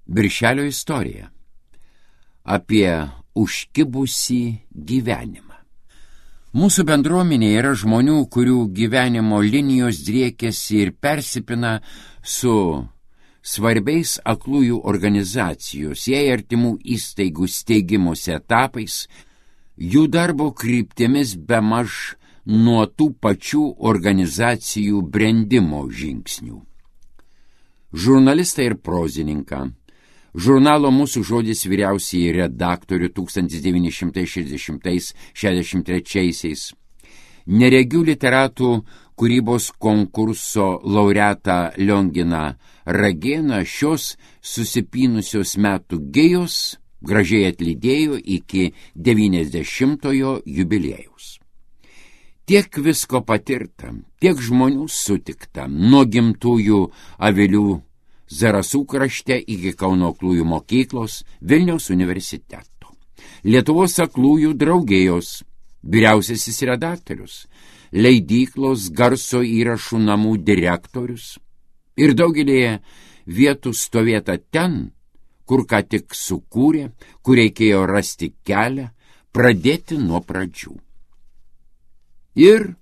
Birželio istorija apie užkibusį gyvenimą. Mūsų bendruomenėje yra žmonių, kurių gyvenimo linijos driekiasi ir persipina su svarbiais aklųjų organizacijos, jai artimų įstaigų steigimosi etapais, jų darbo kryptimis bemaž nuo tų pačių organizacijų brendimo žingsnių. Žurnalistą ir prozininką, žurnalo Mūsų žodis vyriausiąjį redaktorių 1960–63, neregių literatų kūrybos konkurso laureatą Lionginą Ragėną šios susipynusios metų gėjos gražiai atlydėjo iki 90-ojo jubiliejaus. Tiek visko patirta, tiek žmonių sutikta, nuo gimtųjų avilių Zarasų krašte iki Kauno aklųjų mokyklos, Vilniaus universiteto, Lietuvos aklųjų draugijos, vyriausiasis redaktorius, leidyklos garso įrašų namų direktorius ir daugelėje vietų stovėta ten, kur ką tik sukūrė, kur reikėjo rasti kelią, pradėti nuo pradžių. Ir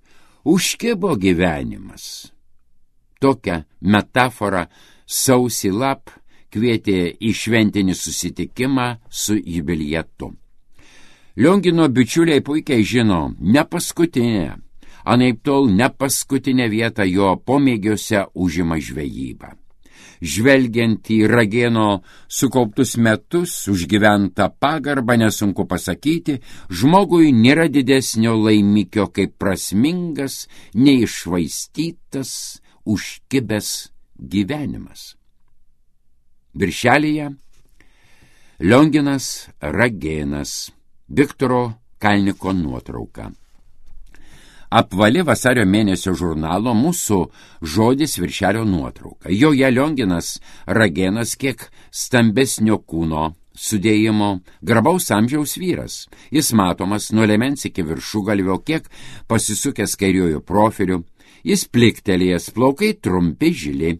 užkibo gyvenimas. Tokią metaforą sausį lap kvietė į šventinį susitikimą su jubilietu. Liongino bičiuliai puikiai žino, ne paskutinę, anaiptol ne paskutinę vietą jo pomėgiuose užima žvejyba. Žvelgiant į Ragėno sukauptus metus, užgyventą pagarbą, nesunku pasakyti, žmogui nėra didesnio laimikio kaip prasmingas, neiššvaistytas, užkibęs gyvenimas. Viršelyje Lionginas Ragėnas, Viktoro Kalniko nuotrauka. Apvali vasario mėnesio žurnalo Mūsų žodis viršelio nuotrauka. Joje Lionginas Ragėnas kiek stambesnio kūno sudėjimo, grabaus amžiaus vyras. Jis matomas nuo liemens iki viršugalvio, kiek pasisukęs kairiuoju profiliu. Jis pliktelėjęs, plaukai trumpi žili,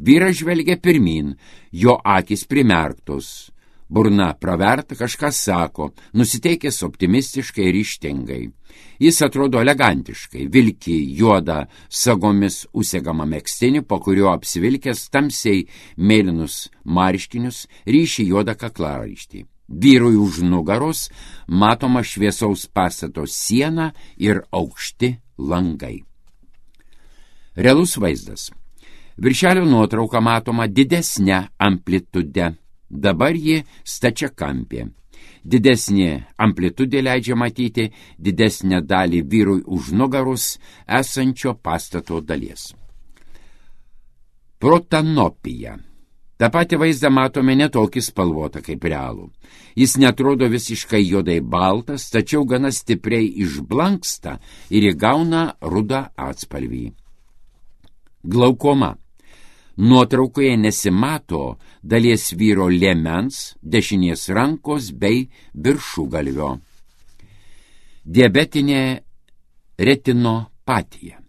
vyras žvelgia pirmin, jo akys primerktos. Burna praverta, kažką sako, nusiteikęs optimistiškai ir ryžtingai. Jis atrodo elegantiškai, vilki juodą sagomis užsegamą megztinį, po kurio apsivilkęs tamsiai mėlynus marškinius, ryši juodą kaklaraištį. Vyrui už nugaros matoma šviesaus pastato siena ir aukšti langai. Realus vaizdas. Viršelio nuotrauka matoma didesnė amplitude. Dabar ji stačiakampė. Didesnė amplitudė leidžia matyti didesnę dalį vyrui už nugaros esančio pastato dalies. Protanopija. Ta pati vaizdą matome netokį spalvotą kaip realų. Jis netrodo visiškai juodai baltas, tačiau gana stipriai išblanksta ir įgauna rudą atspalvį. Glaukoma. Nuotraukoje nesimato dalies vyro liemens, dešinės rankos bei viršugalvio. Diabetinė retinopatija.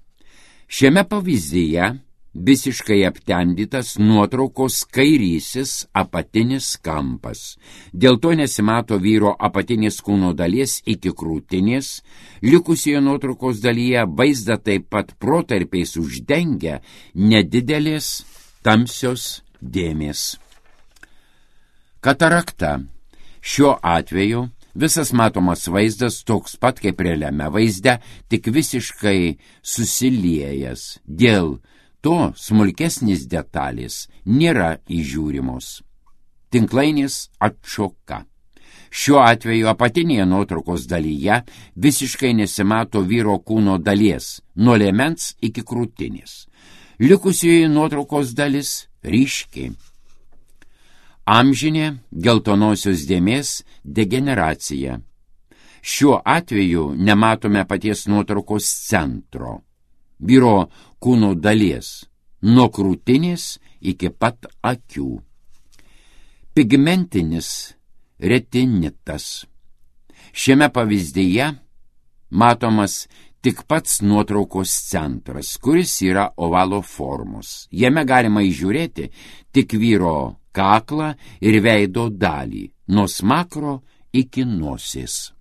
Šiame pavyzdyje visiškai aptemdytas nuotraukos kairysis apatinis kampas. Dėl to nesimato vyro apatinės kūno dalies iki krūtinės. Likusioje nuotraukos dalyje vaizdą taip pat protarpiais uždengia nedidelės tamsios dėmės. Katarakta. Šiuo atveju visas matomas vaizdas toks pat kaip realiame vaizde, tik visiškai susiliejęs. Dėl to smulkesnės detalės nėra įžiūrimos. Tinklainės atšoka. Šiuo atveju apatinėje nuotraukos dalyje visiškai nesimato vyro kūno dalies, nuo liemens iki krūtinės. Likusioje nuotraukos dalis ryški. Amžinė geltonosios dėmės degeneracija. Šiuo atveju nematome paties nuotraukos centro, vyro kūno dalies, nuo krūtinės iki pat akių. Pigmentinis retinitas. Šiame pavyzdyje matomas tik pats nuotraukos centras, kuris yra ovalo formos. Jame galima įžiūrėti tik vyro kaklą ir veido dalį, nuo smakro iki nosies.